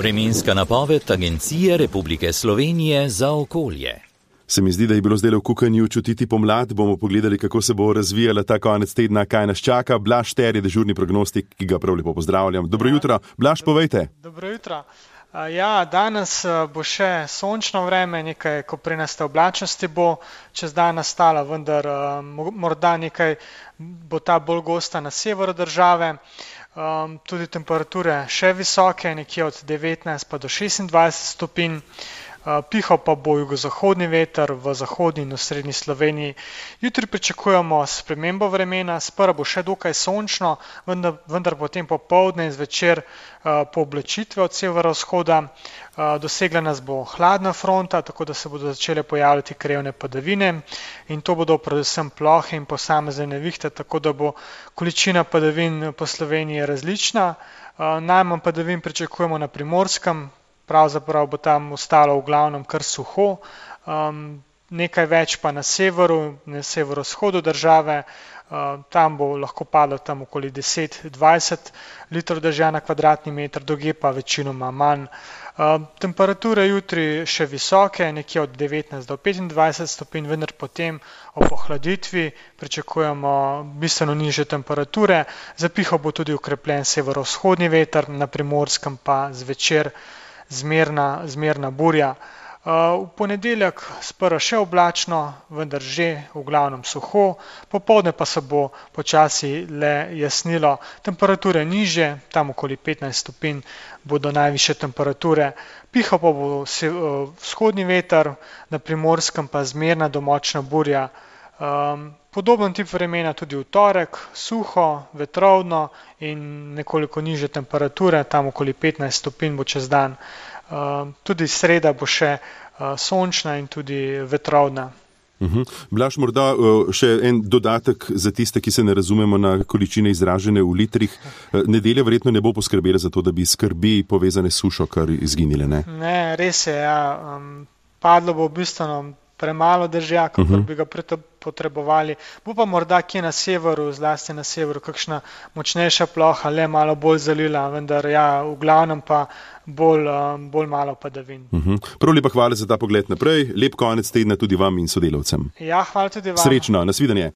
Vremenska napoved Agencije Republike Slovenije za okolje. Se mi zdi, da je bilo zdaj v Kukanju čutiti pomlad. Bomo pogledali, kako se bo razvijala ta konec tedna, kaj nas čaka. Blaž Šter je dežurni prognostik, ki ga prav lepo pozdravljam. Dobro jutro. Blaž, povejte. Dobro jutro. Ja, danes bo še sončno vreme, nekaj koprenaste oblačnosti bo čez dan nastala, vendar morda nekaj bo ta bolj gosta na severu države. Tudi temperature še visoke, nekje od 19 pa do 26 stopinj. Pihal pa bo jugozahodni veter v zahodni in v srednji Sloveniji. Jutri pričakujemo spremembo vremena, sprva bo še dokaj sončno, vendar potem popoldne in zvečer pooblačitve od severovzhoda. Dosegla nas bo hladna fronta, tako da se bodo začele pojavljati krajevne padavine in to bodo predvsem plohe in posamezne nevihte, tako da bo količina padavin po Sloveniji različna. Najmanj padavin pričakujemo na Primorskem, pravzaprav bo tam ostalo v glavnem kar suho, nekaj več pa na severu, na severovzhodu države, tam bo lahko padlo tam okoli 10-20 litrov dežja na kvadratni meter, drugje pa večinoma manj. Temperature jutri še visoke, nekje od 19 do 25 stopinj, vendar potem ob ohladitvi pričakujemo bistveno nižje temperature. Zapihal bo tudi okrepljen severovzhodni veter, na Primorskem pa zvečer zmerna burja. V ponedeljek sprva še oblačno, vendar že v glavnem suho, popoldne pa se bo počasi le jasnilo. Temperature nižje, tam okoli 15 stopinj bodo najvišje temperature. Pihal pa bo vzhodni veter, na Primorskem pa zmerna do močna burja. Podoben tip vremena tudi v torek, suho, vetrovno in nekoliko nižje temperature, tam okoli 15 stopinj bo čez dan. Tudi sreda bo še sončna in tudi vetrovna. Blaž, morda še en dodatek za tiste, ki se ne razumemo na količine izražene v litrih. Nedelja verjetno ne bo poskrbela za to, da bi skrbi povezane s sušo kar izginile, ne? Ne, res je, ja. Padlo bo bistveno premalo dežja, kakor bi ga potrebovali. Bo pa morda kje na severu, zlasti na severu, kakšna močnejša ploha, le malo bolj zalila, vendar ja, v glavnem pa bolj malo padavin. Prav lepa hvala za ta pogled naprej. Lep konec tedna tudi vam in sodelavcem. Ja, hvala tudi vam. Srečno, nasvidenje.